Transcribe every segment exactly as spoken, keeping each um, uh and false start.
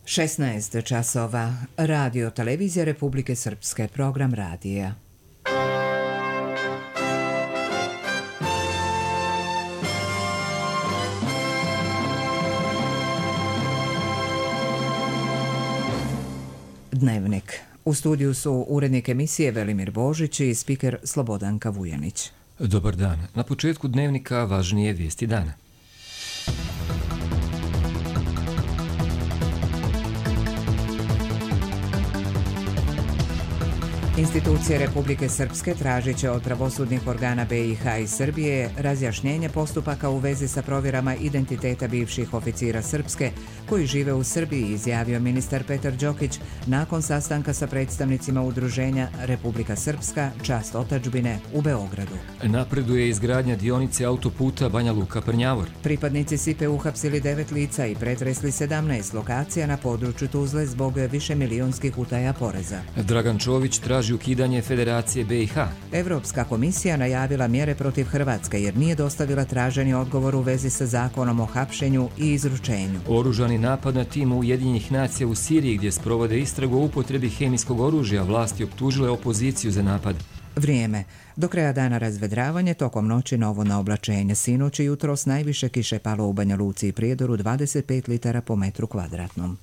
šesnaest časova. Radio Televizija Republike Srpske. Program radija. Dnevnik. U studiju su urednik emisije Velimir Božić i spiker Slobodanka Vujanić. Dobar dan. Na početku dnevnika važnije vijesti dana. Institucije Republike Srpske tražit će od pravosudnih organa be i ha i Srbije razjašnjenje postupaka u vezi sa provjerama identiteta bivših oficira Srpske koji žive u Srbiji, izjavio ministar Petar Đokić nakon sastanka sa predstavnicima udruženja Republika Srpska, čast otadžbine u Beogradu. Napreduje izgradnja dionice autoputa Banja Luka-Prnjavor. Pripadnici Sipe uhapsili devet lica i pretresli sedamnaest lokacija na području Tuzle zbog višemilionskih utaja poreza. Dragan Čović traži ukidanje Federacije be i ha. Evropska komisija najavila mjere protiv Hrvatske jer nije dostavila traženi odgovor u vezi sa zakonom o hapšenju i izručenju. Oružani napad na tim Ujedinjenih nacija u Siriji gdje sprovode istragu o upotrebi hemijskog oružja, vlasti optužile opoziciju za napad. Vrijeme. Do kraja dana razvedravanje, tokom noći novo na oblačenje. Sinoć i jutros najviše kiše palo u Banja Luci i Prijedoru, dvadeset pet litara po metru kvadratnom.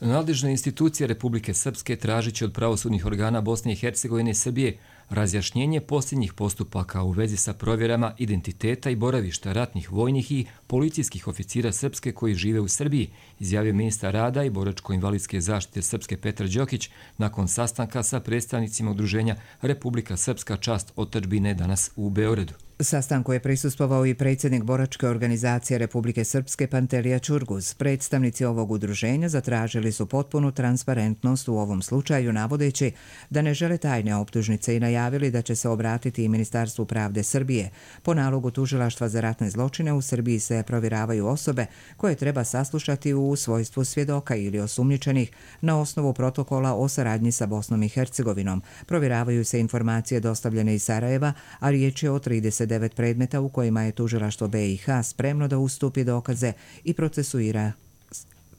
Nadležne institucije Republike Srpske tražit će od pravosudnih organa Bosne i Hercegovine i Srbije razjašnjenje posljednjih postupaka u vezi sa provjerama identiteta i boravišta ratnih, vojnih i policijskih oficira Srpske koji žive u Srbiji, izjavio ministar rada i boračko-invalidske zaštite Srpske Petar Đokić nakon sastanka sa predstavnicima udruženja Republika Srpska, čast otadžbine danas u Beogradu. Sastanku je prisustvovao i predsjednik boračke organizacije Republike Srpske Pantelija Čurguz. Predstavnici ovog udruženja zatražili su potpunu transparentnost u ovom slučaju, navodeći da ne žele tajne optužnice i najavili da će se obratiti i Ministarstvu pravde Srbije. Po nalogu Tužilaštva za ratne zločine u Srbiji se provjeravaju osobe koje treba saslušati u svojstvu svjedoka ili osumnjičenih na osnovu protokola o saradnji sa Bosnom i Hercegovinom. Provjeravaju se informacije dostavljene iz Sarajeva, a riječ je o trideset devet predmeta u kojima je Tužilaštvo be i ha spremno da ustupi dokaze i procesuira,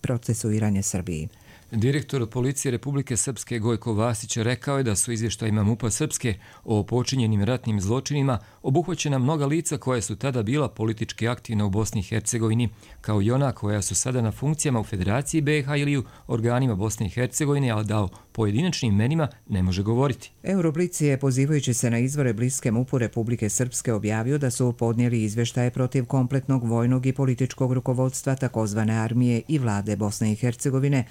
procesuiranje Srbiji. Direktor policije Republike Srpske Gojko Vasić rekao je da su izvještajima MUP-a Srpske o počinjenim ratnim zločinima obuhvaćena mnoga lica koja su tada bila politički aktivna u Bosni i Hercegovini, kao i ona koja su sada na funkcijama u Federaciji be i ha ili u organima Bosne i Hercegovine, ali da o pojedinačnim imenima ne može govoriti. Euroblic je, pozivajući se na izvore bliske MUP-u Republike Srpske, objavio da su podnijeli izvještaje protiv kompletnog vojnog i političkog rukovodstva takozvane armije i vlade Bosne i Hercegovine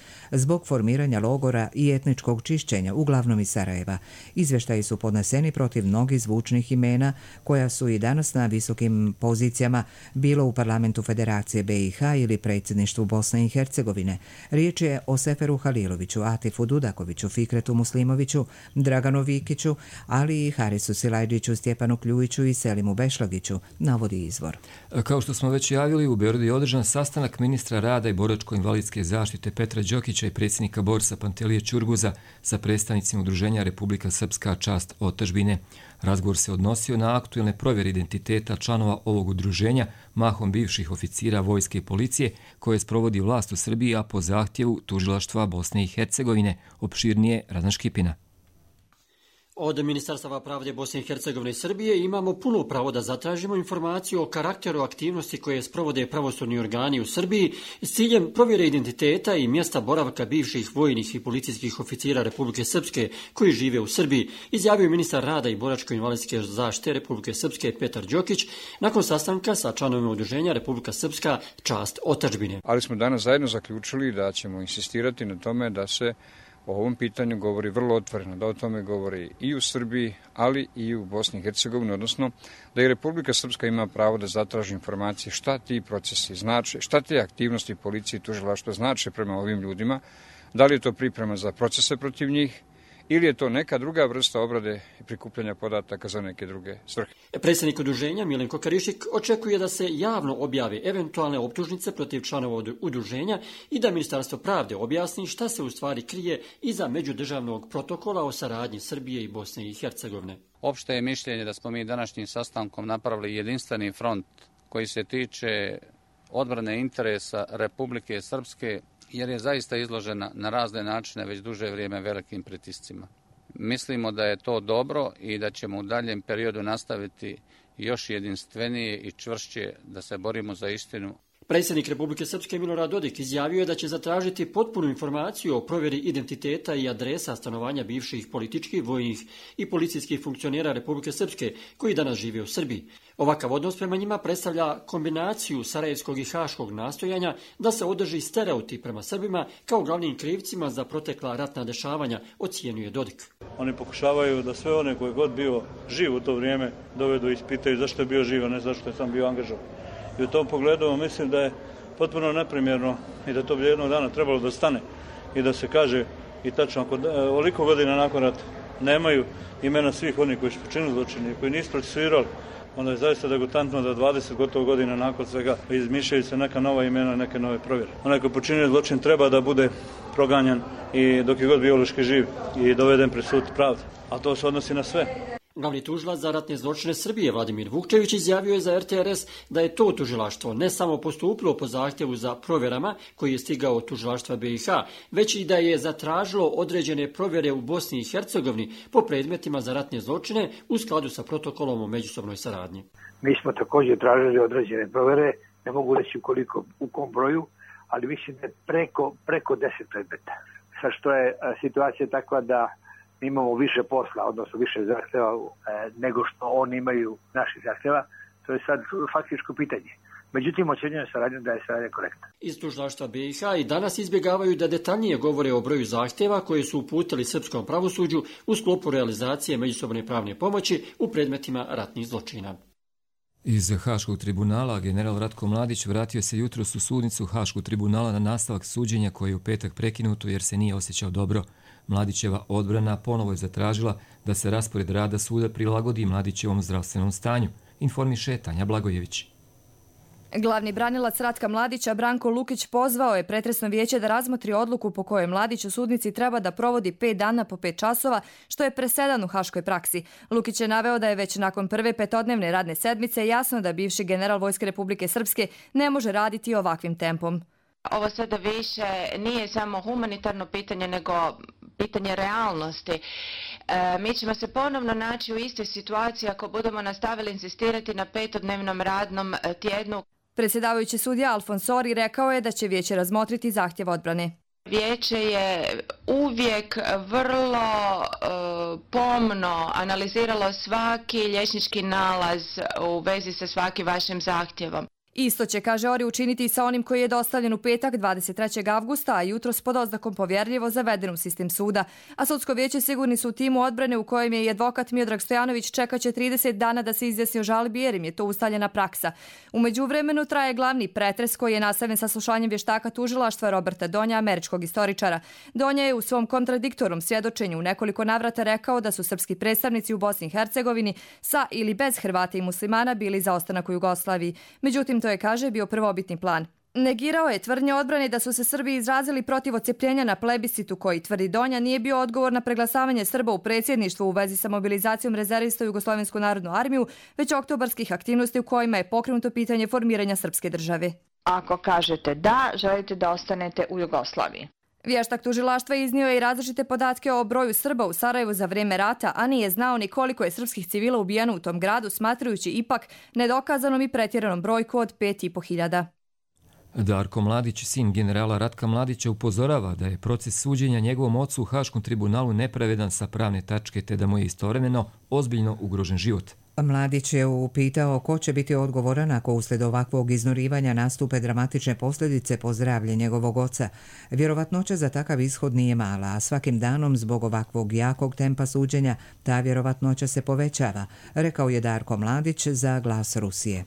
zbog formiranja logora i etničkog čišćenja, uglavnom iz Sarajeva. Izvještaji su podneseni protiv mnogih zvučnih imena koja su i danas na visokim pozicijama, bilo u parlamentu Federacije be i ha ili predsjedništvu Bosne i Hercegovine. Riječ je o Seferu Haliloviću, Atifu Dudakoviću, Fikretu Muslimoviću, Draganu Vikiću, ali i Harisu Silajđiću, Stjepanu Kljujiću i Selimu Bešlagiću, navodi izvor. Kao što smo već javili, u Beogradu je održan sastanak ministra rada i boračko-invalidske zaštite Petra Đokića i predsjednika borsa Pantelije Čurguza sa predstavnicima udruženja Republika Srpska, čast otadžbine. Razgovor se odnosio na aktuelne provjere identiteta članova ovog udruženja, mahom bivših oficira vojske i policije, koje sprovodi vlast u Srbiji, a po zahtjevu Tužilaštva Bosne i Hercegovine. Opširnije Razan Škipina. Od Ministarstva pravde Bosne i Hercegovine i Srbije imamo puno pravo da zatražimo informaciju o karakteru aktivnosti koje sprovode pravosudni organi u Srbiji s ciljem provjere identiteta i mjesta boravka bivših vojnih i policijskih oficira Republike Srpske koji žive u Srbiji, izjavio ministar rada i boračko-invalidske zaštite Republike Srpske Petar Đokić nakon sastanka sa članovima udruženja Republika Srpska, čast otadžbine. Ali smo danas zajedno zaključili da ćemo insistirati na tome da se o ovom pitanju govori vrlo otvoreno, da o tome govori i u Srbiji, ali i u Bosni i Hercegovini, odnosno da i Republika Srpska ima pravo da zatraži informacije šta ti procesi znače, šta te aktivnosti policije i tužilaštva znače prema ovim ljudima, da li je to priprema za procese protiv njih, ili je to neka druga vrsta obrade i prikupljanja podataka za neke druge svrhe. Predsjednik udruženja Milenko Karišik očekuje da se javno objave eventualne optužnice protiv članova udruženja i da Ministarstvo pravde objasni šta se u stvari krije iza međudržavnog protokola o saradnji Srbije i Bosne i Hercegovine. Opšte je mišljenje da smo mi današnjim sastankom napravili jedinstveni front koji se tiče odbrane interesa Republike Srpske, jer je zaista izložena na razne načine već duže vrijeme velikim pritiscima. Mislimo da je to dobro i da ćemo u daljem periodu nastaviti još jedinstvenije i čvršće da se borimo za istinu. Predsjednik Republike Srpske Milorad Dodik izjavio je da će zatražiti potpunu informaciju o provjeri identiteta i adresa stanovanja bivših političkih, vojnih i policijskih funkcionera Republike Srpske koji danas žive u Srbiji. Ovakav odnos prema njima predstavlja kombinaciju sarajevskog i haškog nastojanja da se održi stereotip prema Srbima kao glavnim krivcima za protekla ratna dešavanja, ocjenjuje Dodik. Oni pokušavaju da sve one koji god bio živ u to vrijeme dovedu i ispitaju zašto je bio živ, a ne zašto je sam bio angažovan. I u tom pogledu mislim da je potpuno neprimjerno i da to bi jednog dana trebalo da stane i da se kaže i tačno ako oliko godina nakon rata nemaju imena svih onih koji su počinili zločine i koji nisu procesuirali, onda je zaista degutantno da dvadeset gotovo godina nakon svega izmišljaju se neka nova imena, neke nove provjere. Onaj koji počinio zločin treba da bude proganjan i dok je god biološki živ i doveden pred sud pravde, a to se odnosi na sve. Glavni tužilac za ratne zločine Srbije Vladimir Vukčević izjavio je za er te er es da je to tužilaštvo ne samo postupilo po zahtjevu za provjerama koji je stigao od tužilaštva be i ha, već i da je zatražilo određene provjere u Bosni i Hercegovini po predmetima za ratne zločine u skladu sa protokolom o međusobnoj saradnji. Mi smo također tražili određene provjere, ne mogu reći koliko, u kom broju, ali mislim da je preko, preko deset predmeta. Sa što je situacija takva da imamo više posla, odnosno više zahtjeva e, nego što oni imaju naših zahtjeva, to je sad faktičko pitanje. Međutim, ocjenjujem saradnju da je saradnja korektna. Iz tužilaštva be i ha i danas izbjegavaju da detaljnije govore o broju zahtjeva koje su uputili srpskom pravosuđu u sklopu realizacije međusobne pravne pomoći u predmetima ratnih zločina. Iz Haškog tribunala general Ratko Mladić vratio se jutros u sudnicu Haškog tribunala na nastavak suđenja koje je u petak prekinuto jer se nije osjećao dobro. Mladićeva odbrana ponovo je zatražila da se raspored rada suda prilagodi Mladićevom zdravstvenom stanju, informiše Tanja Blagojević. Glavni branilac Ratka Mladića Branko Lukić pozvao je pretresno vijeće da razmotri odluku po kojoj Mladić u sudnici treba da provodi pet dana po pet časova, što je presedan u haškoj praksi. Lukić je naveo da je već nakon prve petodnevne radne sedmice jasno da bivši general Vojske Republike Srpske ne može raditi ovakvim tempom. Ovo sada više nije samo humanitarno pitanje, nego pitanje realnosti. E, mi ćemo se ponovno naći u istoj situaciji ako budemo nastavili insistirati na petodnevnom radnom tjednu. Predsjedavajući sudija Alfonsori rekao je da će vijeće razmotriti zahtjev odbrane. Vijeće je uvijek vrlo e, pomno analiziralo svaki liječnički nalaz u vezi sa svakim vašim zahtjevom. Isto će, kaže Ori, učiniti i sa onim koji je dostavljen u petak dvadeset trećeg avgusta, a jutros pod oznakom povjerljivo zaveden u sistem suda. A sudsko vijeće sigurni su u timu odbrane u kojem je i advokat Miodrag Stojanović čekaće trideset dana da se izjasni o žalbi jer im je to ustaljena praksa. U međuvremenu traje glavni pretres koji je nastavljen sa slušanjem vještaka tužilaštva Roberta Donja, američkog istoričara. Donja je u svom kontradiktornom svjedočenju u nekoliko navrata rekao da su srpski predstavnici u Bosni i Hercegovini sa ili bez Hrvata i muslimana bili za ostanak u Jugoslaviji. Međutim, to je, kaže, bio prvobitni plan. Negirao je tvrdnje odbrane da su se Srbi izrazili protiv odcepljenja na plebiscitu koji, tvrdi Donja, nije bio odgovor na preglasavanje Srba u predsjedništvu u vezi sa mobilizacijom rezervista u Jugoslovensku narodnu armiju, već oktobarskih aktivnosti u kojima je pokrenuto pitanje formiranja srpske države. Ako kažete da, želite da ostanete u Jugoslaviji. Vještak tužilaštva iznio je i različite podatke o broju Srba u Sarajevu za vrijeme rata, a nije znao ni koliko je srpskih civila ubijeno u tom gradu, smatrajući ipak nedokazanom i pretjeranom brojku od pet i po hiljada. Darko Mladić, sin generala Ratka Mladića, upozorava da je proces suđenja njegovom ocu u Haškom tribunalu nepravedan sa pravne tačke te da mu je istovremeno ozbiljno ugrožen život. Mladić je upitao ko će biti odgovoran ako uslijed ovakvog iznurivanja nastupe dramatične posljedice po zdravlje njegovog oca. Vjerovatnoća za takav ishod nije mala, a svakim danom zbog ovakvog jakog tempa suđenja ta vjerovatnoća se povećava, rekao je Darko Mladić za Glas Rusije.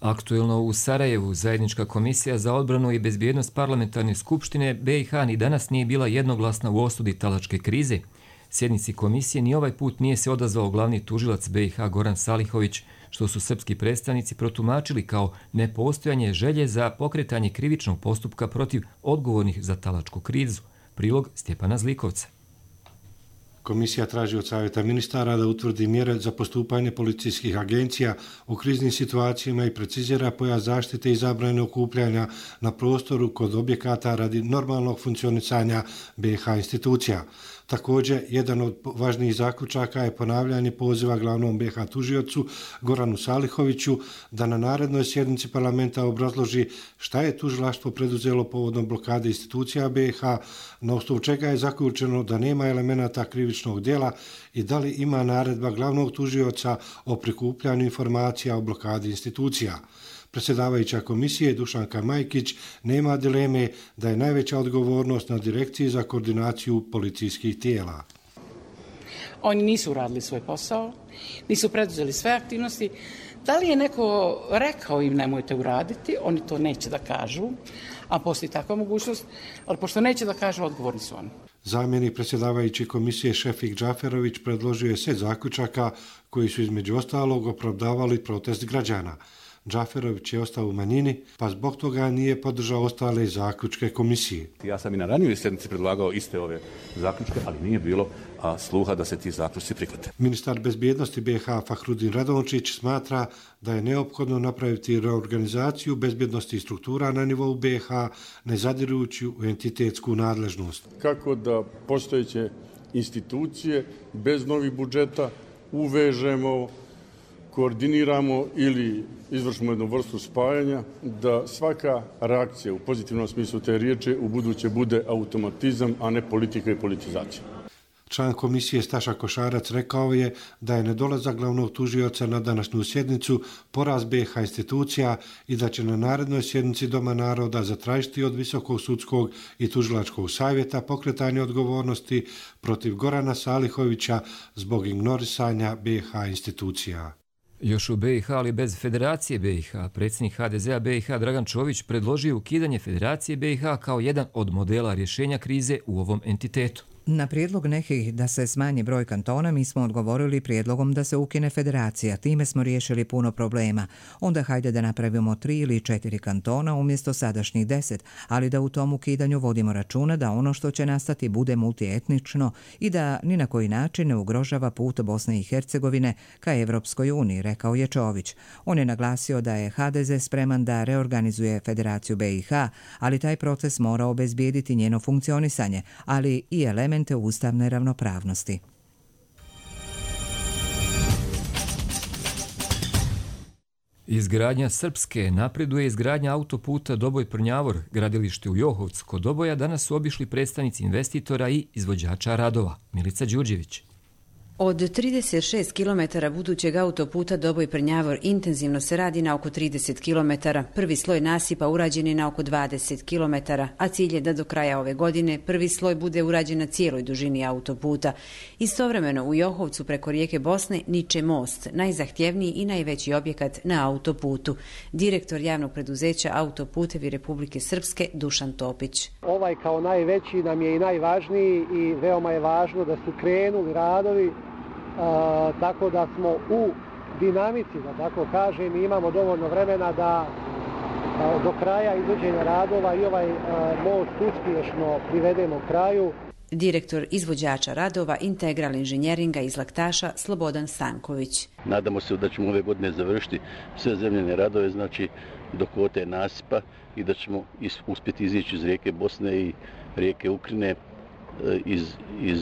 Aktuelno u Sarajevu zajednička komisija za odbranu i bezbjednost parlamentarne skupštine be i ha ni danas nije bila jednoglasna u osudi talačke krize. Sjednici komisije ni ovaj put nije se odazvao glavni tužilac be i ha Goran Salihović, što su srpski predstavnici protumačili kao nepostojanje želje za pokretanje krivičnog postupka protiv odgovornih za talačku krizu. Prilog Stjepana Zlikovca. Komisija traži od Savjeta ministara da utvrdi mjere za postupanje policijskih agencija u kriznim situacijama i precizira pojam zaštite i zabrane okupljanja na prostoru kod objekata radi normalnog funkcionisanja B i H institucija. Također, jedan od važnijih zaključaka je ponavljanje poziva glavnom B i H tužiocu Goranu Salihoviću da na narednoj sjednici parlamenta obrazloži šta je tužilaštvo preduzelo povodom blokade institucija B i H, na osnovu čega je zaključeno da nema elemenata krivičnog djela i da li ima naredba glavnog tužioca o prikupljanju informacija o blokadi institucija. Predsjedavajuća komisije Dušanka Majkić nema dileme da je najveća odgovornost na Direkciji za koordinaciju policijskih tijela. Oni nisu uradili svoj posao, nisu preduzeli sve aktivnosti. Da li je neko rekao im nemojte uraditi, oni to neće da kažu, a postoji takva mogućnost, ali pošto neće da kažu, odgovorni su oni. Zamjenik predsjedavajuće komisije Šefik Džaferović predložio je set zaključaka koji su između ostalog opravdavali protest građana. Džaferović je ostao u manjini, pa zbog toga nije podržao ostale zaključke komisije. Ja sam i na ranijoj sjednici predlagao iste ove zaključke, ali nije bilo a, sluha da se ti zaključci prihvate. Ministar bezbjednosti B i H Fahrudin Radončić smatra da je neophodno napraviti reorganizaciju bezbjednosti struktura na nivou B i H, ne zadirujući u entitetsku nadležnost. Kako da postojeće institucije bez novih budžeta uvežemo, koordiniramo ili izvršimo jednu vrstu spajanja, da svaka reakcija u pozitivnom smislu te riječi u buduće bude automatizam, a ne politika i politizacija. Član komisije Staša Košarac rekao je da je nedolazak glavnog tužioca na današnju sjednicu poraz B i H institucija i da će na narednoj sjednici Doma naroda zatražiti od Visokog sudskog i tužilačkog savjeta pokretanje odgovornosti protiv Gorana Salihovića zbog ignorisanja B i H institucija. Još u B i H, ali bez Federacije B i H, predsjednik H D Z-a B i H Dragan Čović predložio ukidanje Federacije B i H kao jedan od modela rješenja krize u ovom entitetu. Na prijedlog nekih da se smanji broj kantona mi smo odgovorili prijedlogom da se ukine federacija. Time smo riješili puno problema. Onda hajde da napravimo tri ili četiri kantona umjesto sadašnjih deset, ali da u tom ukidanju vodimo računa da ono što će nastati bude multietnično i da ni na koji način ne ugrožava put Bosne i Hercegovine ka Evropskoj uniji, rekao je Čović. On je naglasio da je H D Z spreman da reorganizuje Federaciju B i H, ali taj proces mora obezbijediti njeno funkcionisanje, ali i elemente ustavne ravnopravnosti. Izgradnja Srpske napreduje izgradnja autoputa Doboj-Prnjavor. Gradilište u Johovcu kod Doboja danas su obišli predstavnici investitora i izvođača radova. Milica Đurđević. Od trideset šest kilometara budućeg autoputa Doboj-Prnjavor intenzivno se radi na oko trideset kilometara. Prvi sloj nasipa urađen je na oko dvadeset kilometara, a cilj je da do kraja ove godine prvi sloj bude urađen na cijeloj dužini autoputa. Istovremeno u Johovcu preko rijeke Bosne niče most, najzahtjevniji i najveći objekat na autoputu. Direktor javnog preduzeća Autoputevi Republike Srpske Dušan Topić. Ovaj kao najveći nam je i najvažniji i veoma je važno da su krenuli radovi. A, tako da smo u dinamici, da tako kažem, i imamo dovoljno vremena da a, do kraja izvođenja radova i ovaj a, most uspješno privedemo kraju. Direktor izvođača radova Integral inženjeringa iz Laktaša Slobodan Stanković. Nadamo se da ćemo ove godine završiti sve zemljene radove, znači do kvote nasipa i da ćemo is, uspjeti izići iz rijeke Bosne i rijeke Ukrajine iz, iz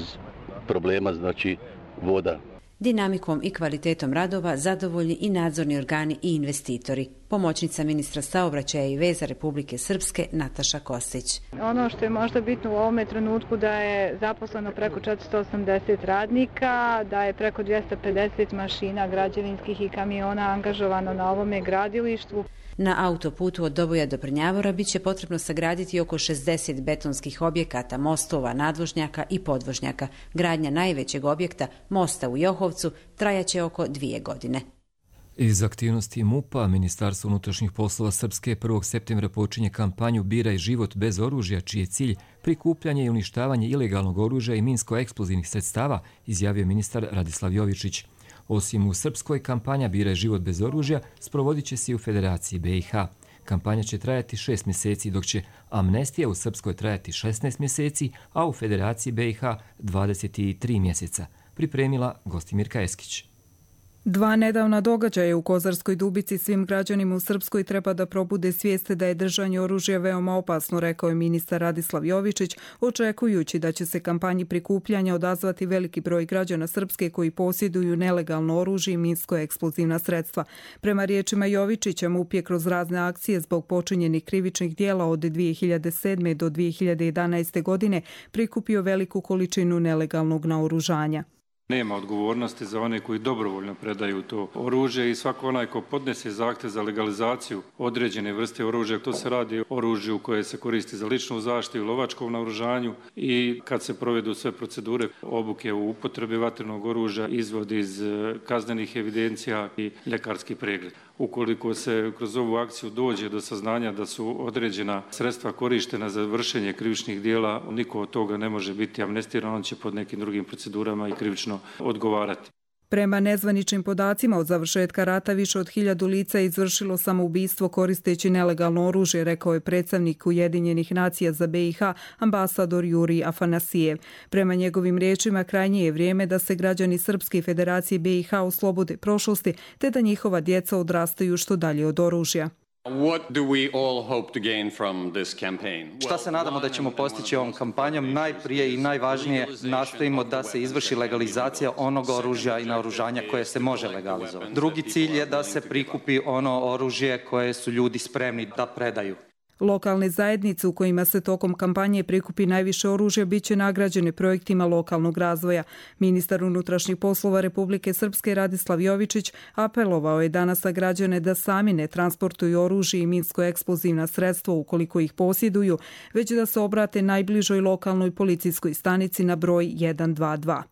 problema, znači voda. Dinamikom i kvalitetom radova zadovoljni i nadzorni organi i investitori. Pomoćnica ministra saobraćaja i veza Republike Srpske Nataša Kostić. Ono što je možda bitno u ovome trenutku da je zaposleno preko četiristo osamdeset radnika, da je preko dvjesto pedeset mašina građevinskih i kamiona angažovano na ovome gradilištu. Na autoputu od Doboja do Prnjavora bit će potrebno sagraditi oko šezdeset betonskih objekata, mostova, nadvožnjaka i podvožnjaka. Gradnja najvećeg objekta, mosta u Johovcu, trajaće oko dvije godine. Iz aktivnosti MUP-a, Ministarstvo unutrašnjih poslova Srpske prvog septembra počinje kampanju Biraj život bez oružja, čiji je cilj prikupljanje i uništavanje ilegalnog oružja i minsko-eksplozivnih sredstava, izjavio ministar Radislav Jovičić. Osim u Srpskoj, kampanja Biraj život bez oružja sprovodit će se i u Federaciji B i H. Kampanja će trajati šest mjeseci, dok će amnestija u Srpskoj trajati šesnaest mjeseci, a u Federaciji B i H dvadeset tri mjeseca. Pripremila Gostimirka Eskić. Dva nedavna događaja u Kozarskoj Dubici svim građanima u Srpskoj treba da probude svijest da je držanje oružja veoma opasno, rekao je ministar Radislav Jovičić, očekujući da će se kampanji prikupljanja odazvati veliki broj građana Srpske koji posjeduju nelegalno oružje i minsko-eksplozivna sredstva. Prema riječima Jovičića, MUP je kroz razne akcije zbog počinjenih krivičnih dijela od dvije hiljade sedme. do dvije hiljade jedanaeste. godine prikupio veliku količinu nelegalnog naoružanja. Nema odgovornosti za one koji dobrovoljno predaju to oružje i svako onaj ko podnese zahtjev za legalizaciju određene vrste oružja, to se radi o oružju koje se koristi za ličnu zaštitu i lovačkom naoružanju i kad se provedu sve procedure obuke u upotrebi vatrenog oružja, izvod iz kaznenih evidencija i ljekarski pregled. Ukoliko se kroz ovu akciju dođe do saznanja da su određena sredstva korištena za vršenje krivičnih dijela, niko od toga ne može biti amnestiran, on će pod nekim drugim procedurama i krivično odgovarati. Prema nezvaničnim podacima od završetka rata više od hiljadu lica je izvršilo samoubistvo koristeći nelegalno oružje, rekao je predstavnik Ujedinjenih nacija za B i H, ambasador Juri Afanasijev. Prema njegovim riječima, krajnje je vrijeme da se građani Srpske federacije B i H oslobode prošlosti, te da njihova djeca odrastaju što dalje od oružja. Šta se nadamo da ćemo postići ovom kampanjom? Najprije i najvažnije nastojimo da se izvrši legalizacija onog oružja i naoružanja koje se može legalizovati. Drugi cilj je da se prikupi ono oružje koje su ljudi spremni da predaju. Lokalne zajednice u kojima se tokom kampanje prikupi najviše oružja biće nagrađene projektima lokalnog razvoja. Ministar unutrašnjih poslova Republike Srpske Radislav Jovičić apelovao je danas na građane da sami ne transportuju oružje i minsko-eksplozivna sredstva ukoliko ih posjeduju, već da se obrate najbližoj lokalnoj policijskoj stanici na broj jedan dva dva.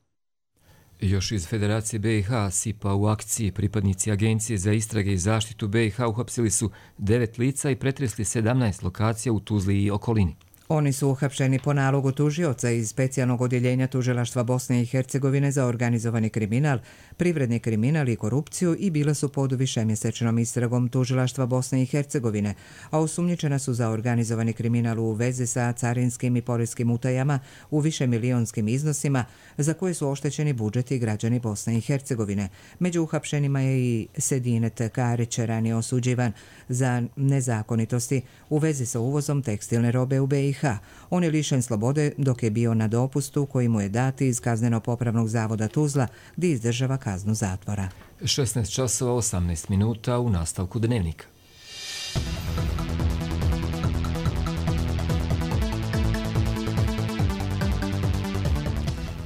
Još iz Federacije B i H S I P-a u akciji pripadnici Agencije za istrage i zaštitu B i H uhapsili su devet lica i pretresli sedamnaest lokacija u Tuzli i okolini. Oni su uhapšeni po nalogu tužioca iz specijalnog odjeljenja tužilaštva Bosne i Hercegovine za organizovani kriminal, privredni kriminal i korupciju i bila su pod višemjesečnom istragom tužilaštva Bosne i Hercegovine, a osumnjičena su za organizovani kriminal u vezi sa carinskim i poreskim utajama u višemilijonskim iznosima za koje su oštećeni budžeti i građani Bosne i Hercegovine. Među uhapšenima je i Sedinet Karić, ranije osuđivan za nezakonitosti u vezi sa uvozom tekstilne robe u B i H. On je lišen slobode dok je bio na dopustu koji mu je dati iz Kazneno-popravnog zavoda Tuzla gdje izdržava kaznu zatvora. šesnaest časova osamnaest minuta u nastavku Dnevnika.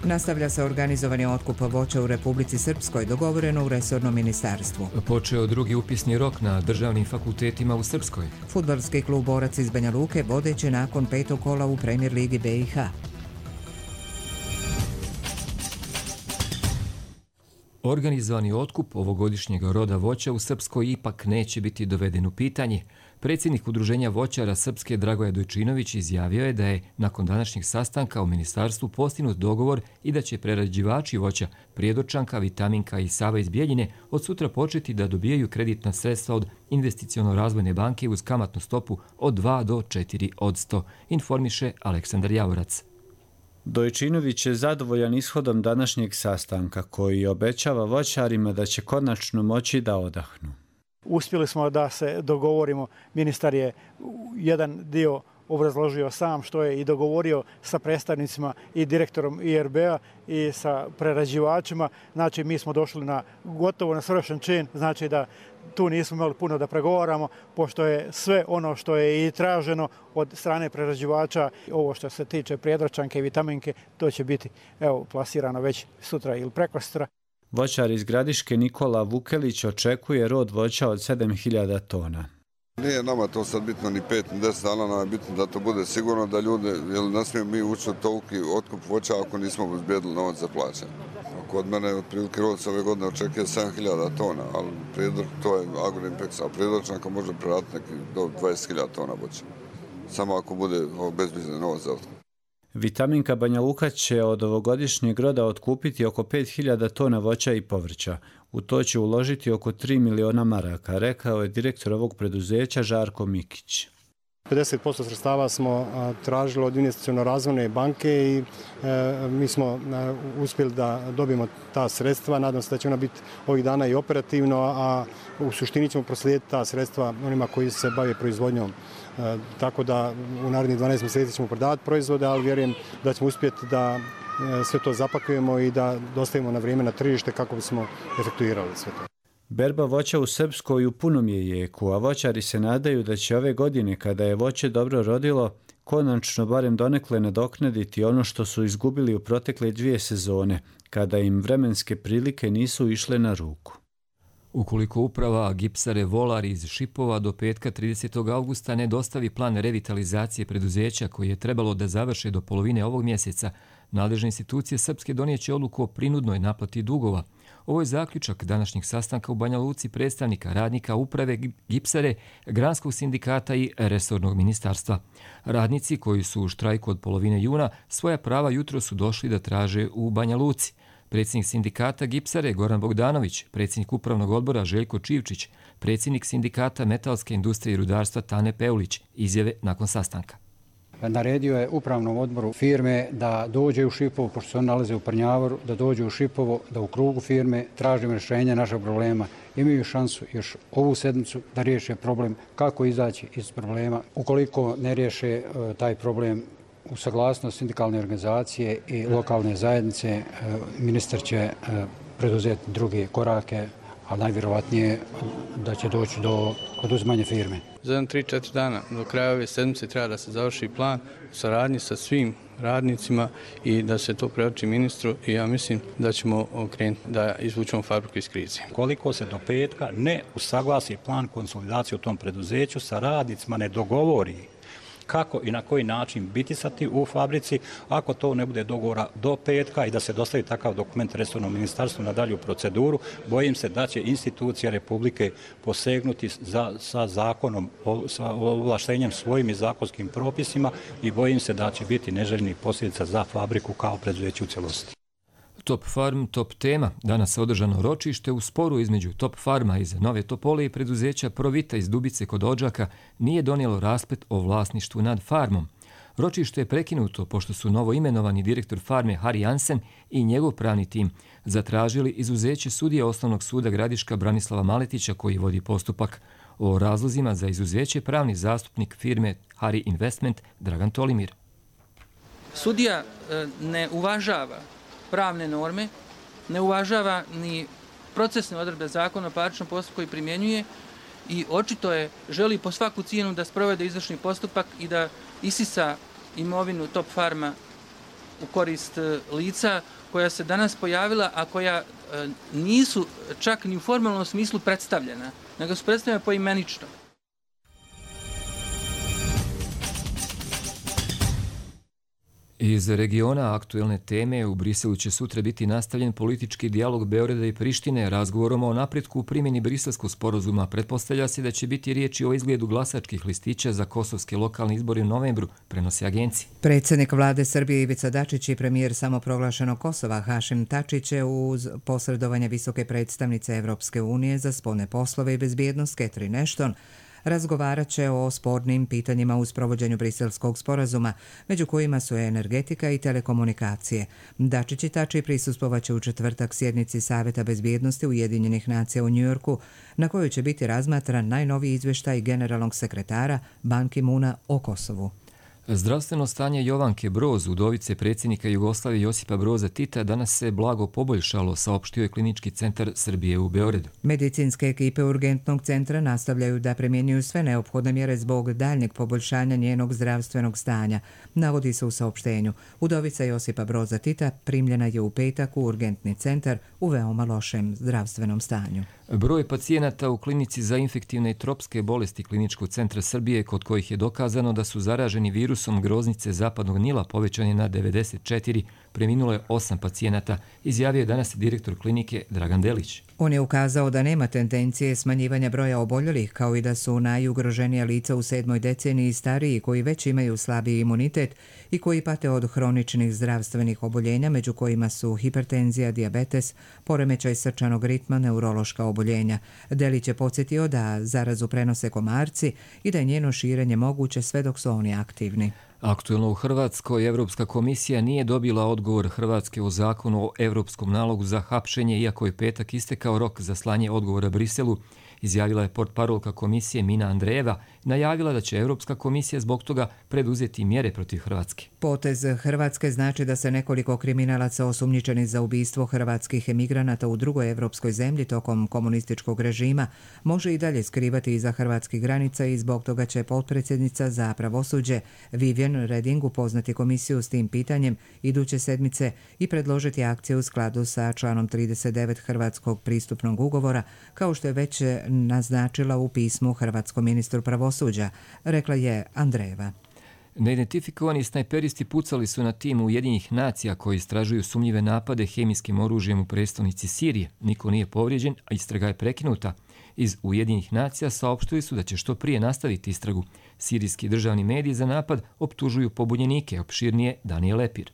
Nastavlja se organizovani otkup voća u Republici Srpskoj, dogovoreno u resornom ministarstvu. Počeo drugi upisni rok na državnim fakultetima u Srpskoj. Fudbalski klub Borac iz Banja Luke vodeće nakon petog kola u Premier ligi B i H. Organizovani otkup ovogodišnjeg roda voća u Srpskoj ipak neće biti doveden u pitanje. Predsjednik Udruženja voćara Srpske Dragoje Dojčinović izjavio je da je nakon današnjeg sastanka u ministarstvu postignut dogovor i da će prerađivači voća Prijedočanka, Vitaminka i Sava iz Bijeljine od sutra početi da dobijaju kreditna sredstva od Investiciono-razvojne banke uz kamatnu stopu od dva do četiri posto, informiše Aleksandar Javorac. Dojčinović je zadovoljan ishodom današnjeg sastanka koji obećava voćarima da će konačno moći da odahnu. Uspjeli smo da se dogovorimo, ministar je jedan dio obrazložio sam što je i dogovorio sa predstavnicima i direktorom I R B-a i sa prerađivačima. Znači mi smo došli na gotovo na svršen čin, znači da tu nismo imali puno da pregovaramo, pošto je sve ono što je i traženo od strane prerađivača, ovo što se tiče Prijedočanke i Vitaminke, to će biti evo plasirano već sutra ili prekosutra. Voćar iz Gradiške Nikola Vukelić očekuje rod voća od sedam hiljada tona. Nije nama to sad bitno ni pet, ni deset dana, nam je bitno da to bude sigurno da ljude, jer ne smijemo mi ući od toliki otkup voća ako nismo obezbijedili novac za plaćanje. Kod mene otprilike rod se ove godine očekuje sedam hiljada tona, ali prijedor, to je Agroimpex, a Prijedočanka može preraditi neki do dvadeset hiljada tona voća. Samo ako bude obezbijeđen novac za otkup. Vitaminka Banja Luka će od ovogodišnjeg roda otkupiti oko pet hiljada tona voća i povrća. U to će uložiti oko tri miliona maraka, rekao je direktor ovog preduzeća Žarko Mikić. pedeset posto sredstava smo tražili od investiciono-razvojne banke i e, mi smo e, uspjeli da dobijemo ta sredstva. Nadam se da će ona biti ovih dana i operativno, a u suštini ćemo proslijediti ta sredstva onima koji se bave proizvodnjom. E, tako da u narednih dvanaest mjeseci ćemo prodavati proizvode, ali vjerujem da ćemo uspjeti da e, sve to zapakujemo i da dostavimo na vrijeme na tržište kako bismo efektuirali sve to. Berba voća u Srpskoj u punom je jeku, a voćari se nadaju da će ove godine, kada je voće dobro rodilo, konačno barem donekle nadoknaditi ono što su izgubili u protekle dvije sezone, kada im vremenske prilike nisu išle na ruku. Ukoliko uprava Gipsare Volar iz Šipova do petka tridesetog avgusta ne dostavi plan revitalizacije preduzeća koji je trebalo da završe do polovine ovog mjeseca, nadležne institucije Srpske donijeće odluku o prinudnoj naplati dugova. Ovo je zaključak današnjeg sastanka u Banja Luci predstavnika radnika uprave Gipsare, Granskog sindikata i resornog ministarstva. Radnici koji su u štrajku od polovine juna svoja prava jutro su došli da traže u Banja Luci. Predsjednik sindikata Gipsare Goran Bogdanović, predsjednik upravnog odbora Željko Čivčić, predsjednik sindikata metalske industrije i rudarstva Tane Peulić, izjave nakon sastanka. Naredio je upravnom odboru firme da dođe u Šipovo, pošto se on nalaze u Prnjavoru, da dođe u Šipovo, da u krugu firme tražimo rješenje našeg problema. Imaju šansu još ovu sedmicu da riješe problem kako izaći iz problema. Ukoliko ne riješe taj problem u saglasnost sindikalne organizacije i lokalne zajednice, ministar će preduzeti druge korake, a najvjerovatnije da će doći do oduzimanja firme. Za jedan tri četiri dana do kraja ove sedmice treba da se završi plan u saradnji sa svim radnicima i da se to preoči ministru i ja mislim da ćemo okrenuti da izvučemo fabriku iz krize. Koliko se do petka ne usaglasi plan konsolidacije u tom preduzeću sa radnicima, ne dogovori kako i na koji način biti sati u fabrici, ako to ne bude dogovora do petka i da se dostavi takav dokument resornom ministarstvu na dalju proceduru, bojim se da će institucija Republike posegnuti za, sa zakonom, sa ovlaštenjem svojim i zakonskim propisima i bojim se da će biti neželjnih posljedica za fabriku kao preduzeće u cijelosti. Top Farm, top tema. Danas je održano ročište u sporu između Top Farma iz Nove Topole i preduzeća Provita iz Dubice kod Odžaka nije donijelo rasplet o vlasništvu nad farmom. Ročište je prekinuto pošto su novo imenovani direktor farme Hari Jansen i njegov pravni tim zatražili izuzeće sudije Osnovnog suda Gradiška Branislava Maletića koji vodi postupak. O razlozima za izuzeće pravni zastupnik firme Hari Investment Dragan Tolimir. Sudija ne uvažava pravne norme, ne uvažava ni procesne odredbe zakona o parničnom postupku koji primjenjuje i očito je želi po svaku cijenu da sprovede izvršni postupak i da isisa imovinu Top Farma u korist lica koja se danas pojavila, a koja nisu čak ni u formalnom smislu predstavljena, nego su predstavljena poimenično. Iz regiona aktuelne teme u Briselu će sutra biti nastavljen politički dijalog Beograda i Prištine. Razgovorom o napretku u primjeni briselskog sporazuma pretpostavlja se da će biti riječi o izgledu glasačkih listića za kosovske lokalne izbore u novembru, prenose agencije. Predsjednik vlade Srbije Ivica Dačić i premijer samoproglašenog Kosova Hašim Tači će uz posredovanje visoke predstavnice Evropske unije za spoljne poslove i bezbjednost Catherine Ashton razgovarat će o spornim pitanjima u sprovođenju briselskog sporazuma, među kojima su energetika i telekomunikacije. Dačić i Tači prisustvovaće u četvrtak sjednici Savjeta bezbjednosti Ujedinjenih nacija u Njujorku, na kojoj će biti razmatran najnoviji izvještaj generalnog sekretara Ban Ki-moona o Kosovu. Zdravstveno stanje Jovanke Broz, udovice predsjednika Jugoslavije Josipa Broza Tita, danas se blago poboljšalo, saopštio je Klinički centar Srbije u Beogradu. Medicinske ekipe urgentnog centra nastavljaju da primjenjuju sve neophodne mjere zbog daljnjeg poboljšanja njenog zdravstvenog stanja, navodi se u saopštenju. Udovica Josipa Broza Tita primljena je u petak u urgentni centar u veoma lošem zdravstvenom stanju. Broj pacijenata u klinici za infektivne i tropske bolesti Kliničkog centra Srbije, kod kojih je dokazano da su zaraženi virusom virusom groznice zapadnog Nila povećan je na devedeset četiri, preminulo je osam pacijenata, izjavio je danas direktor klinike Dragan Delić. On je ukazao da nema tendencije smanjivanja broja oboljelih, kao i da su najugroženija lica u sedmoj deceniji stariji koji već imaju slabiji imunitet i koji pate od hroničnih zdravstvenih oboljenja, među kojima su hipertenzija, dijabetes, poremećaj srčanog ritma, neurološka oboljenja. Delić je podsjetio da zarazu prenose komarci i da je njeno širenje moguće sve dok su oni aktivni. Aktuelno u Hrvatskoj Evropska komisija nije dobila odgovor Hrvatske o zakonu o Evropskom nalogu za hapšenje, iako je petak istekao rok za slanje odgovora Briselu, izjavila je portparolka komisije Mina Andrejeva, najavila da će Evropska komisija zbog toga preduzeti mjere protiv Hrvatske. Potez Hrvatske znači da se nekoliko kriminalaca osumnjičenih za ubistvo hrvatskih emigranata u drugoj evropskoj zemlji tokom komunističkog režima može i dalje skrivati iza hrvatskih granica i zbog toga će potpredsjednica za pravosuđe Vivian Reding upoznati komisiju s tim pitanjem iduće sedmice i predložiti akcije u skladu sa članom trideset devet Hrvatskog pristupnog ugovora, kao što je već naznačila u pismu hrvatskom ministru pravosuđa, rekla je Andrejeva. Neidentifikovani snajperisti pucali su na tim Ujedinjenih nacija koji istražuju sumnjive napade hemijskim oružjem u prestonici Sirije. Niko nije povrijeđen, a istraga je prekinuta. Iz Ujedinjenih nacija saopštili su da će što prije nastaviti istragu. Sirijski državni mediji za napad optužuju pobunjenike, opširnije Danijel Lepir.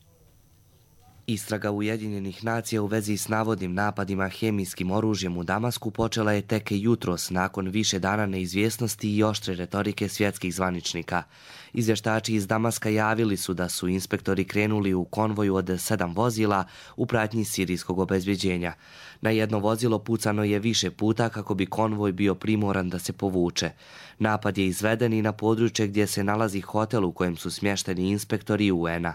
Istraga Ujedinjenih nacija u vezi s navodnim napadima hemijskim oružjem u Damasku počela je tek jutros nakon više dana neizvjesnosti i oštre retorike svjetskih zvaničnika. Izvještači iz Damaska javili su da su inspektori krenuli u konvoju od sedam vozila u pratnji sirijskog obezbjeđenja. Na jedno vozilo pucano je više puta kako bi konvoj bio primoran da se povuče. Napad je izveden i na područje gdje se nalazi hotel u kojem su smješteni inspektori U N-a.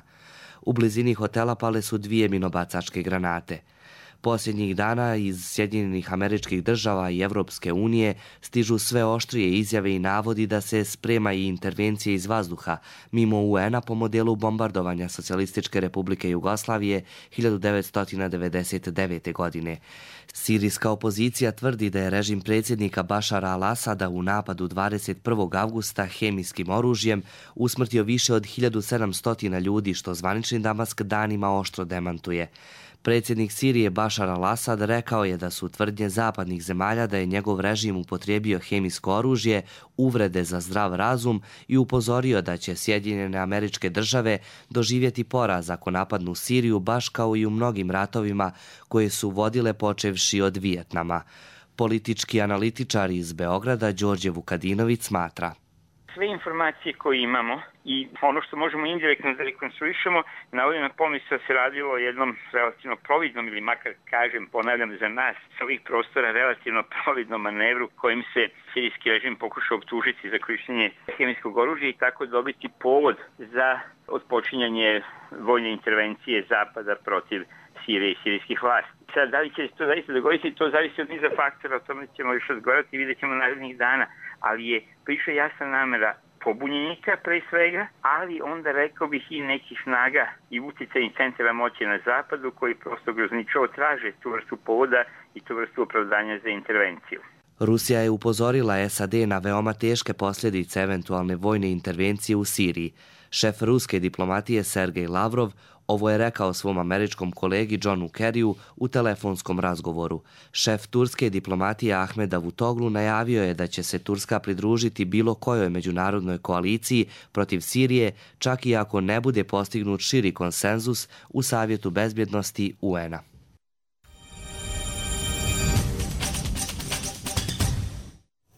U blizini hotela pale su dvije minobacačke granate. Posljednjih dana iz Sjedinjenih Američkih Država i Evropske unije stižu sve oštrije izjave i navodi da se sprema i intervencije iz vazduha mimo U N-a po modelu bombardovanja Socijalističke Republike Jugoslavije hiljadu devetsto devedeset devete. godine. Sirijska opozicija tvrdi da je režim predsjednika Bašara al-Asada u napadu dvadeset prvog avgusta hemijskim oružjem usmrtio više od hiljadu sedamsto ljudi, što zvanični Damask danima oštro demantuje. Predsjednik Sirije Bašar al-Asad rekao je da su tvrdnje zapadnih zemalja da je njegov režim upotrijebio hemijsko oružje uvrede za zdrav razum i upozorio da će Sjedinjene Američke Države doživjeti poraz ako napadnu Siriju, baš kao i u mnogim ratovima koje su vodile počevši od Vijetnama. Politički analitičar iz Beograda Đorđe Vukadinović smatra: sve informacije koje imamo i ono što možemo indirektno da rekonstruišemo, navodi na pomisao se radilo o jednom relativno providnom, ili makar kažem, ponavljam za nas, s ovih prostora relativno providnom manevru kojim se sirijski režim pokušao optužiti za korištenje hemijskog oružja i tako dobiti povod za otpočinjanje vojne intervencije Zapada protiv Sirije i sirijskih vlasti. Sad, da li će se to zaista dogoditi, to zavisi od niza faktora, o tome ćemo još razgovarati i vidjet ćemo narednih dana, ali je priša jasna namera pobunjenika pre svega, ali onda rekao bih i nekih snaga i utjecajnih centara moći na zapadu koji prosto grozničavo traže tu vrstu povoda i tu vrstu opravdanja za intervenciju. Rusija je upozorila S A D na veoma teške posljedice eventualne vojne intervencije u Siriji. Šef ruske diplomatije Sergej Lavrov ovo je rekao svom američkom kolegi Johnu Kerryu u telefonskom razgovoru. Šef turske diplomatije Ahmed Davutoglu najavio je da će se Turska pridružiti bilo kojoj međunarodnoj koaliciji protiv Sirije, čak i ako ne bude postignut širi konsenzus u Savjetu bezbjednosti U N-a.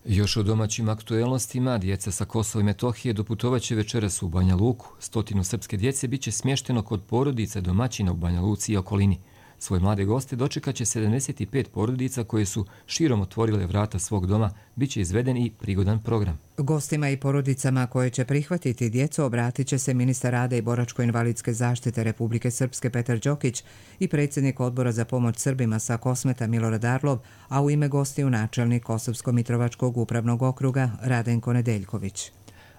Još o domaćim aktuelnostima, djeca sa Kosova i Metohije doputovaće večeras u Banja Luku. Stotinu srpske djece biće smješteno kod porodica domaćina u Banja Luci i okolini. Svoje mlade goste dočekaće sedamdeset pet porodica koje su širom otvorile vrata svog doma, biće izveden i prigodan program. Gostima i porodicama koje će prihvatiti djecu obratit će se ministar rada i boračko-invalidske zaštite Republike Srpske Petar Đokić i predsjednik odbora za pomoć Srbima sa Kosmeta Milorad Arlov, a u ime gostiju načelnik Kosovsko-Mitrovačkog upravnog okruga Radenko Nedeljković.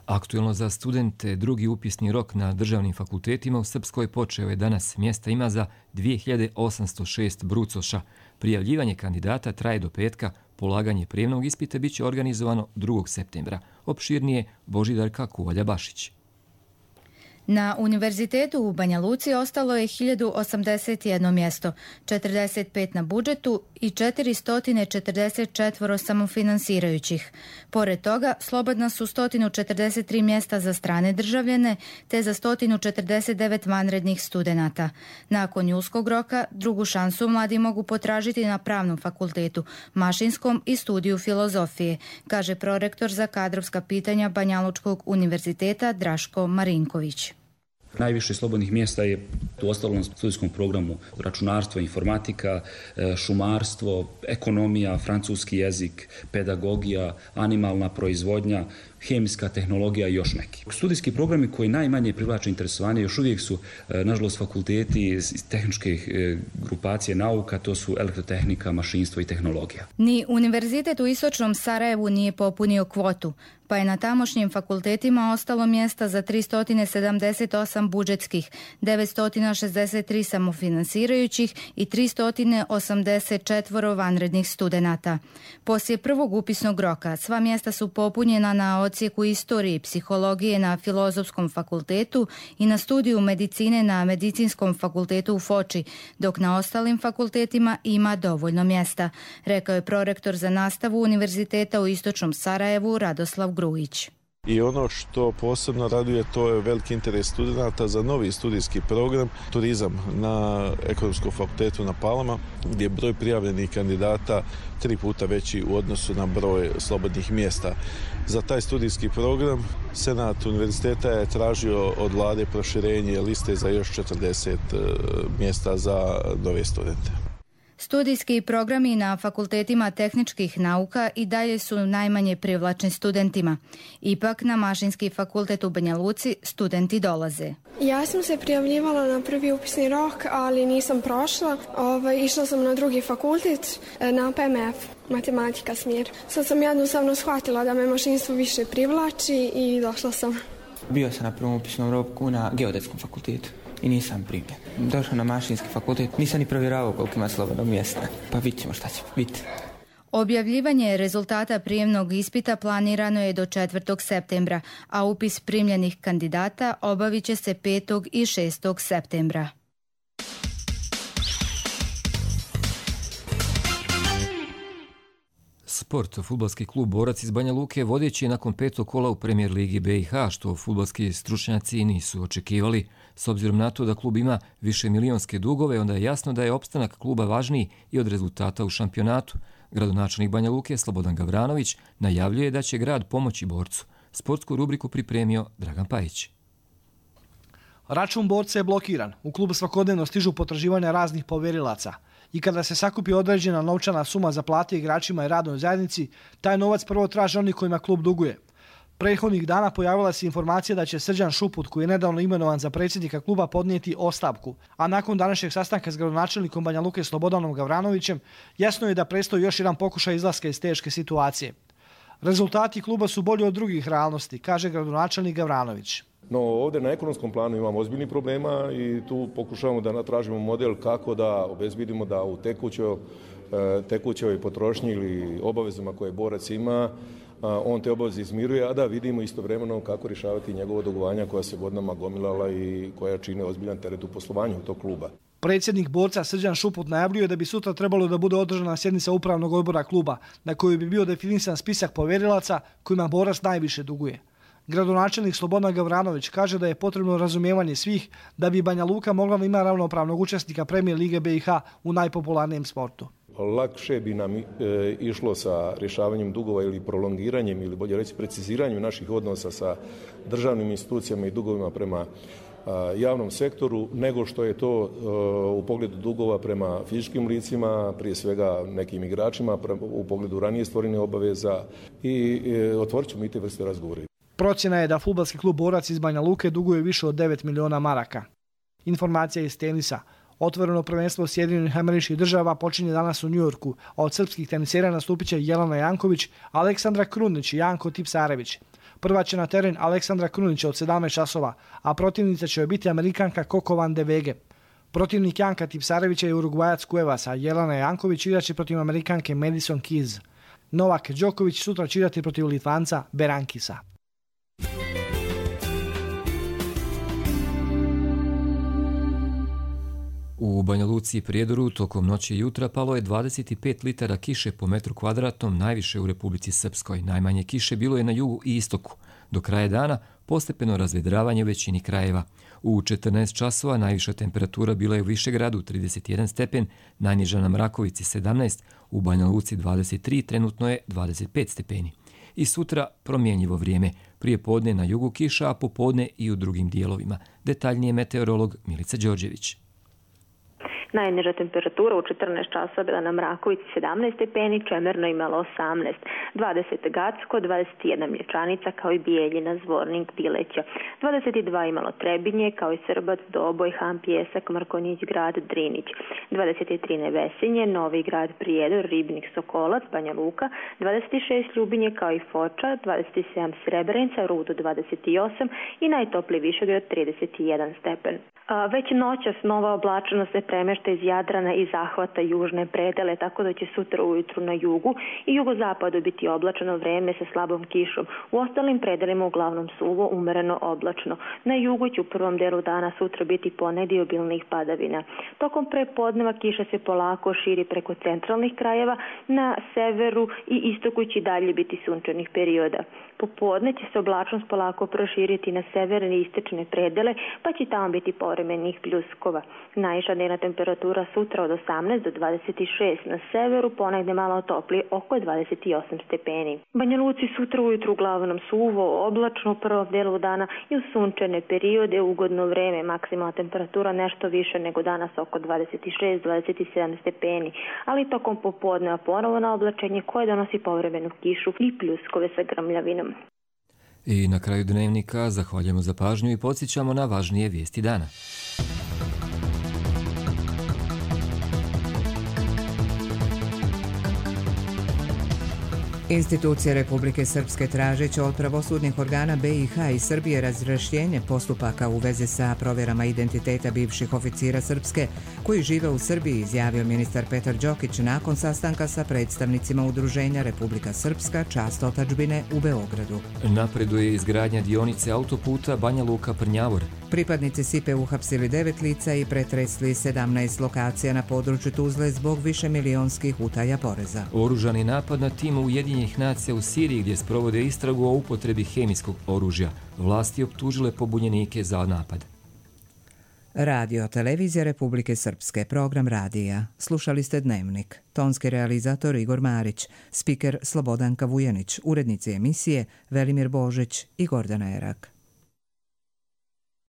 Aktuelno za studente, drugi upisni rok na državnim fakultetima u Srpskoj počeo je danas. Mjesta ima za dvije hiljade osamsto šest brucoša. Prijavljivanje kandidata traje do petka, polaganje prijemnog ispita biće organizovano drugog septembra. Opširnije Božidarka Kuvalja Bašić. Na Univerzitetu u Banja Luci ostalo je hiljadu osamdeset jedno mjesto, četrdeset pet na budžetu i četiristo četrdeset četiri samofinansirajućih. Pored toga, slobodna su sto četrdeset tri mjesta za strane državljane te za sto četrdeset devet vanrednih studenata. Nakon julskog roka, drugu šansu mladi mogu potražiti na Pravnom fakultetu, Mašinskom i studiju filozofije, kaže prorektor za kadrovska pitanja Banjalučkog univerziteta Draško Marinković. Najviše slobodnih mjesta je u ostalom studijskom programu računarstvo, informatika, šumarstvo, ekonomija, francuski jezik, pedagogija, animalna proizvodnja, hemijska tehnologija i još neki. Studijski programi koji najmanje privlače interesovanje još uvijek su, nažalost, fakulteti iz tehničke grupacije nauka, to su elektrotehnika, mašinstvo i tehnologija. Ni Univerzitet u Istočnom Sarajevu nije popunio kvotu, pa je na tamošnjim fakultetima ostalo mjesta za tristo sedamdeset osam budžetskih, devetsto šezdeset tri samofinansirajućih i tristo osamdeset četiri vanrednih studenata. Poslije prvog upisnog roka sva mjesta su popunjena na odsjeku istorije i psihologije na Filozofskom fakultetu i na studiju medicine na Medicinskom fakultetu u Foči, dok na ostalim fakultetima ima dovoljno mjesta, rekao je prorektor za nastavu Univerziteta u Istočnom Sarajevu Radoslav Grujić. I ono što posebno raduje, to je veliki interes studenata za novi studijski program turizam na Ekonomskom fakultetu na Palama, gdje je broj prijavljenih kandidata tri puta veći u odnosu na broj slobodnih mjesta. Za taj studijski program Senat univerziteta je tražio od vlade proširenje liste za još četrdeset mjesta za nove studente. Studijski programi na fakultetima tehničkih nauka i dalje su najmanje privlačni studentima. Ipak na Mašinski fakultet u Banja Luci studenti dolaze. Ja sam se prijavljivala na prvi upisni rok, ali nisam prošla. Ovaj, išla sam na drugi fakultet, na P M F, matematika smjer. Sad sam jednostavno shvatila da me mašinstvo više privlači i došla sam. Bio sam na prvom upisnom roku na Geodetskom fakultetu i nisam primljen. Došao na Mašinski fakultet, nisam ni provjeravao koliko ima slobodnog mjesta. Pa vidit ćemo šta će biti. Objavljivanje rezultata prijemnog ispita planirano je do četvrtog septembra, a upis primljenih kandidata obavit će se petog i šestog septembra. Sport. Fudbalski klub Borac iz Banja Luke vodeći je nakon petog kola u Premier ligi B i H, što fudbalski stručnjaci nisu očekivali. S obzirom na to da klub ima više milionske dugove, onda je jasno da je opstanak kluba važniji i od rezultata u šampionatu. Gradonačelnik Banja Luke Slobodan Gavranović najavljuje da će grad pomoći Borcu. Sportsku rubriku pripremio Dragan Pajić. Račun Borca je blokiran. U klubu svakodnevno stižu potraživanja raznih povjerilaca. I kada se sakupi određena novčana suma za plate igračima i radnoj zajednici, taj novac prvo traže oni kojima klub duguje. Prethodnih dana pojavila se informacija da će Srđan Šuput, koji je nedavno imenovan za predsjednika kluba, podnijeti ostavku. A nakon današnjeg sastanka s gradonačelnikom Banja Luke Slobodanom Gavranovićem, jasno je da predstoji još jedan pokušaj izlaska iz teške situacije. Rezultati kluba su bolji od drugih realnosti, kaže gradonačelnik Gavranović. No ovdje na ekonomskom planu imamo ozbiljnih problema i tu pokušavamo da natražimo model kako da obezbedimo da u tekućoj, tekućoj potrošnji ili obavezama koje Borac ima, on te obaveze izmiruje, a da vidimo istovremeno kako rješavati njegovo dugovanja koja se godinama gomilala i koja čine ozbiljan teret u poslovanju tog kluba. Predsjednik Borca Srđan Šuput najavljuje da bi sutra trebalo da bude održana sjednica upravnog odbora kluba, na kojoj bi bio definisan spisak povjerilaca kojima Borac najviše duguje. Gradonačelnik Slobodan Gavranović kaže da je potrebno razumijevanje svih da bi Banja Luka mogla ima ravnopravnog učesnika Premier lige B i H u najpopularnijem sportu. Lakše bi nam e, išlo sa rješavanjem dugova ili prolongiranjem ili bolje reći preciziranjem naših odnosa sa državnim institucijama i dugovima prema a, javnom sektoru nego što je to a, u pogledu dugova prema fizičkim licima, prije svega nekim igračima, pre, u pogledu ranije stvorenih obaveza i e, otvorit ćemo i te vrste razgovora. Procjena je da fudbalski klub Borac iz Banja Luke duguje više od devet miliona maraka. Informacija iz tenisa. Otvoreno prvenstvo Sjedinjenih Američkih Država počinje danas u Njujorku, a od srpskih tenisera nastupit će Jelena Janković, Aleksandra Krunić i Janko Tipsarević. Prva će na teren Aleksandra Krunića od sedamnaest časova, a protivnica će biti Amerikanka Coco van de Wege. Protivnik Janka Tipsarevića je Urugvajac Cuevas, a Jelena Janković igraće protiv Amerikanke Madison Keys. Novak Đoković sutra će igrati protiv Litvanca Berankisa. U Banja Luci i Prijedoru tokom noći i jutra palo je dvadeset pet litara kiše po metru kvadratnom, najviše u Republici Srpskoj. Najmanje kiše bilo je na jugu i istoku. Do kraja dana postepeno razvedravanje u većini krajeva. U četrnaest časova najviša temperatura bila je u Višegradu trideset jedan stepen, najniža na Mrakovici sedamnaest, u Banja Luci dvadeset tri, trenutno je dvadeset pet stepeni. I sutra promjenjivo vrijeme, prije podne na jugu kiša, a popodne i u drugim dijelovima. Detaljnije meteorolog Milica Đorđević. Najniža temperatura u četrnaest časova bila na Mrakovici sedamnaest stepeni, Čemerno imalo osamnaest, dvadeset Gacko, dvadeset jedan Mlječanica kao i Bijeljina, Zvornik, Bileća, dvadeset dva imalo Trebinje kao i Srbac, Doboj, Han, Pjesak, Markonjić, Grad, Drinić, dvadeset tri Nevesinje, Novi Grad, Prijedor, Ribnik, Sokolac, Banja Luka, dvadeset šest Ljubinje kao i Foča, dvadeset sedam Srebrenica, Rudo dvadeset osam i najtopliji Višegrad trideset jedan stepen. A, već noćas nova oblačenost se premešta iz Jadrana i zahvata južne predele, tako da će sutra ujutru na jugu i jugozapadu biti oblačeno vreme sa slabom kišom. U ostalim predelima uglavnom suvo, umereno oblačno. Na jugu će u prvom delu dana sutra biti ponegdje obilnih padavina. Tokom prepodneva kiša se polako širi preko centralnih krajeva, na severu i istoku će dalje biti sunčanih perioda. Popodne će se oblačnost polako proširiti na severne i istočne predele, pa će tamo biti povremenih pljuskova. Najviša dnevna temperatura sutra od osamnaest do dvadeset šest, na severu ponegde malo toplije, oko dvadeset osam stepeni. Banja Luci sutra ujutru uglavnom suvo, oblačno u prvom delu dana i u sunčane periode, ugodno vreme, maksimalna temperatura nešto više nego danas oko dvadeset šest do dvadeset sedam stepeni, ali tokom popodneva ponovo na oblačenje koje donosi povremenu kišu i pljuskove sa grmljavinom. I na kraju dnevnika zahvaljujemo za pažnju i podsjećamo na važnije vijesti dana. Institucije Republike Srpske tražeće od pravosudnih organa B i H i Srbije razrješenje postupaka u vezi sa provjerama identiteta bivših oficira Srpske koji žive u Srbiji, izjavio ministar Petar Đokić nakon sastanka sa predstavnicima Udruženja Republika Srpska Čast otadžbine u Beogradu. Napreduje izgradnja dionice autoputa Banja Luka-Prnjavor. Pripadnici S I P E uhapsili devet lica i pretresli sedamnaest lokacija na području Tuzle zbog višemilijonskih utaja poreza. Oružani napad na tim Ujedinjenih nacija u Siriji gdje sprovode istragu o upotrebi hemijskog oružja. Vlasti optužile pobunjenike za napad. Radio Televizija Republike Srpske, program radija. Slušali ste Dnevnik. Tonski realizator Igor Marić, spiker Slobodanka Vujanić, urednici emisije Velimir Božić i Gordana Erak.